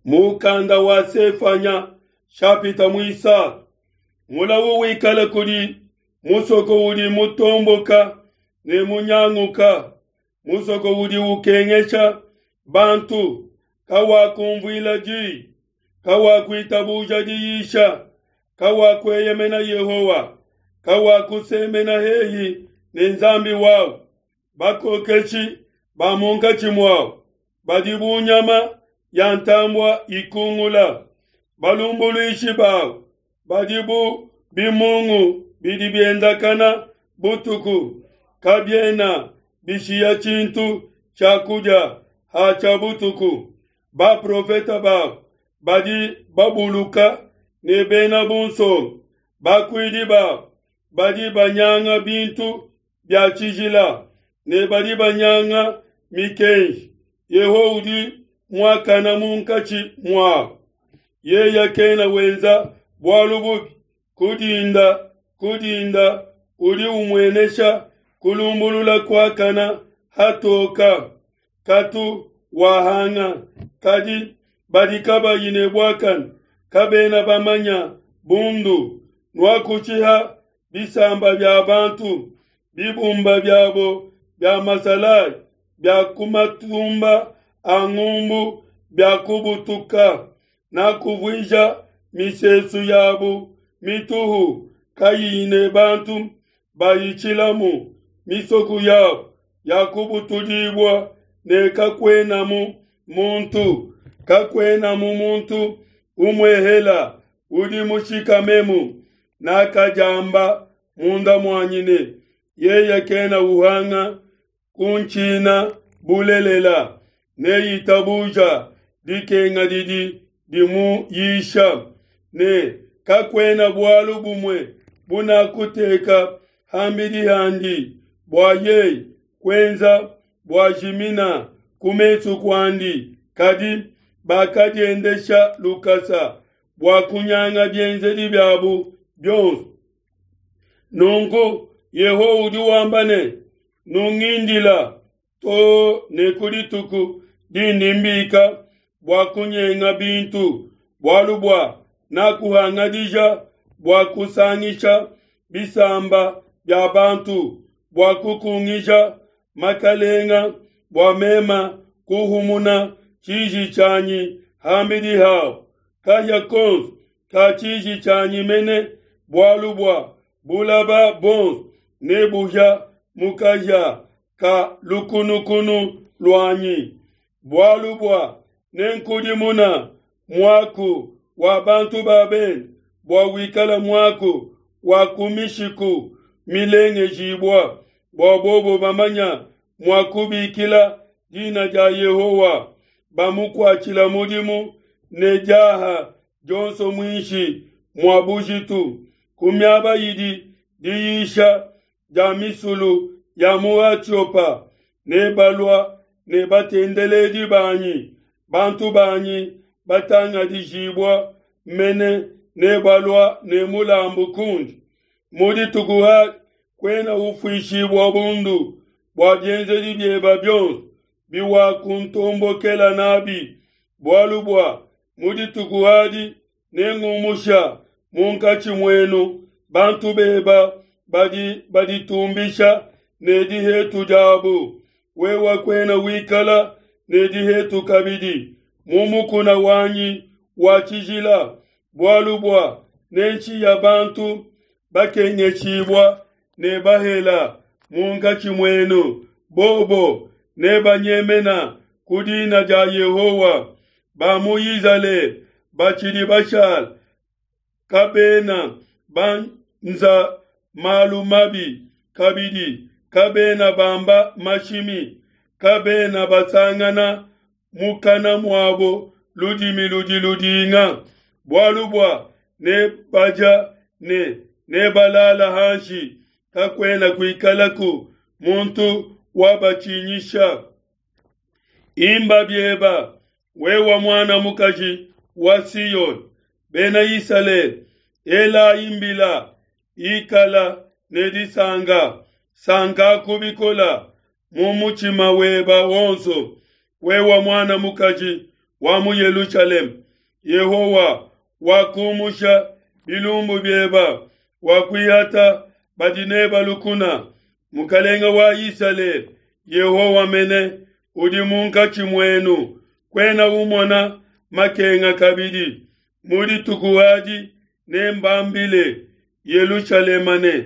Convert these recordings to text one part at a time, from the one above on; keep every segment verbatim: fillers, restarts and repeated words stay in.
Mukanda wa Sefanya shapita muisatu mulawu wikale kudi musoko udi mutomboka ne munyanguka, musoko udi ukengesha bantu, kawakumvuila diyi, kawakuitabuja diyisha, kawakueyemena Yehowa, kawakusemena hehi ne Nzambi wawu. Bakokeshi ba munkatshi muawu badi bu nyama ya ntambua ikungula, balumbuluishi bawu badi bu bimungu bidi biendakana butuku, kabiena bishiya tshintu tshia kudia hatshia butuku. Baprofete babu badi babuluka ne bena bunsonga, bakuidi babu badi banyanga bintu bia tshijila ne badi banyanga mikenji. Yehowa udi muakane munkatshi muabu, yeye kena wenza bualu bubi. Ku dinda ku dinda udi umuenesha kulumbulula kuakane hatoka, katu wahanga. Kadi badi kabayi ne buakane kabena bamanya bundu. Nuakushiha bisamba bia bantu, bibumba biabo bia masalayi bia ku matumba a ngumbu biakubutuka. Nakuvuija misesu yabo mituhu kayiyi ne bantu bayitshilamu. Misoko yabo yakubutudibua ne kakuenamu muntu, kakuenamu muntu umuehela udi mushikamemu. Nakadiamba munda muanyi ne, Yeye kena uhanga kuntshina bulelela, neitabuja dikenga didi dimuyisha, ne kakuena bualu bumue bunakuteka ham'bidi handi bua yeye kuenza buajimina ku mesu kuandi. Kadi bakadiendesha lukasa bua kunyanga bienzedi biabo bionso. Nunku Yehowa udi wamba ne, Nungindila to ne ku dituku dindi mbika bua kunyenga bintu, bualu bua nakuhangadija bua kusangisha bisamba bia bantu, bua kukungija makalenga, bua mema kuhumuna tshiji tshianyi ham'bidi habo, kahia konso ka tshiji tshianyi mene, bualu bua bulaba buonso nebuhia mu kahia ka lukunukunu luanyi. Bualu bua nenkudimuna muaku wa bantu ba bende bua wikale muaku wa ku mishiku milengejibua, bua bobo bamanya mua kubikila dina dia Yehowa, bamukuatshila mudimu ne diaha dionso muinshi mua bujitu, ku miaba idi diyisha dia misulu ya mu Atiopa. Nebalua ne batendeledi banyi, bantu banyi batangadijibua mene nebalua ne mulambu kundi. Mu dituku adi kuena ufuishibua bundu bua bienzedi biebe bionso biwakuntombokela nabi, bualu bua mu dituku adi nengumusha munkatshi muenu bantu beba badi baditumbisha ne dihetu diabo. Wewe kuena wikala ne dihetu kabidi mu mukuna wanyi wa tshijila, bualu bua nenshiya bantu bakengeshibua ne bahela munkatshi muenu, bobo nebanyemena ku dina dia Yehowa. Ba mu Izalele batshidi bashala kabena banza malu mabi kabidi, kabena bamba mashimi, kabena basangana mukana muabo ludimi ludi ludinga, bualu bua nebadia ne nebalala hanshi, kakuena kuikalaku muntu wabatshinyisha. Imba bieba, wewe muana mukaji wa Siyone, Bena Isalele, elayi mbila, ikala ne disanka, sankaku bikola mu mutshima weba wonso, wewe muana mukaji wa mu Yelushalema, Yehowa wakumusha bilumbu bieba, wakuihata badi neba lukuna. Mukelenge wa Isalele, Yehowa mene, udi munkatshi muenu, kuena umona makenga kabidi. Mu dituku adi nembambile Yelushalema ne,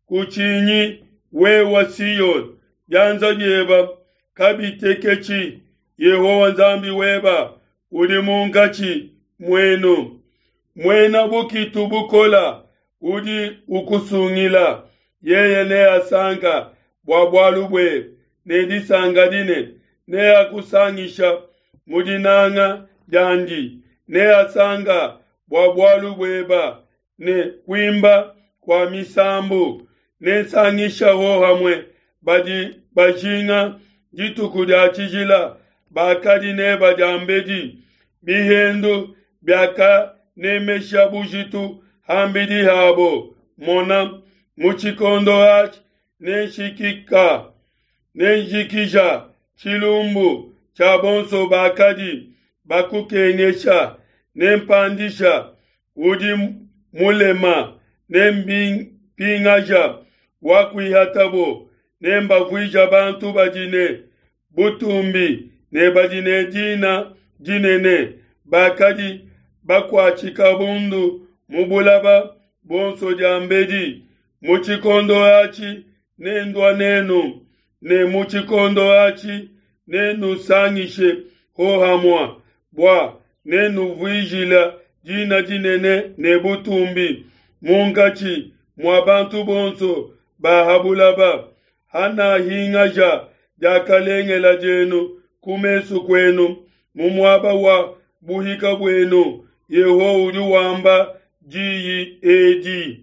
Kutshinyi, wewe Siona, bianza bieba kabiteketshi, Yehowa Nzambi weba udi munkatshi muenu, muena bukitu bukola udi ukusungila. Yeye neasanka bua bualu buebe ne disanka dinene, neakusangisha mu dinanga diandi, neasanka bua bualu bueba ne kuimba kua misambu. Nensangisha hohamue badi bajinga dituku dia tshijila bakadi neba diambedi. Bihendu biakanemesha bujitu ham'bidi habo. Mona, mu tshikondo atshi nenshikika nenjikija tshilumbu tshia bonso bakadi bakukengesha, nempandisha udi mulema, nempingaja wakuihatabo, nembavuija bantu badi ne butumbi ne badi ne dina dinene, bakadi bakuatshika bundu mu bulaba buonso diambedi. Mu tshikondo atshi nendua nenu, ne mu tshikondo atshi nenusangishe hohamue, bua nenuvuijila dina dinene ne butumbi munkatshi mua bantu bonso ba ha bulaba, hanahingaja diakalengela dienu ku mesu kuenu mu muaba wa buhika buenu. Yehowa udi wamba diyi edi.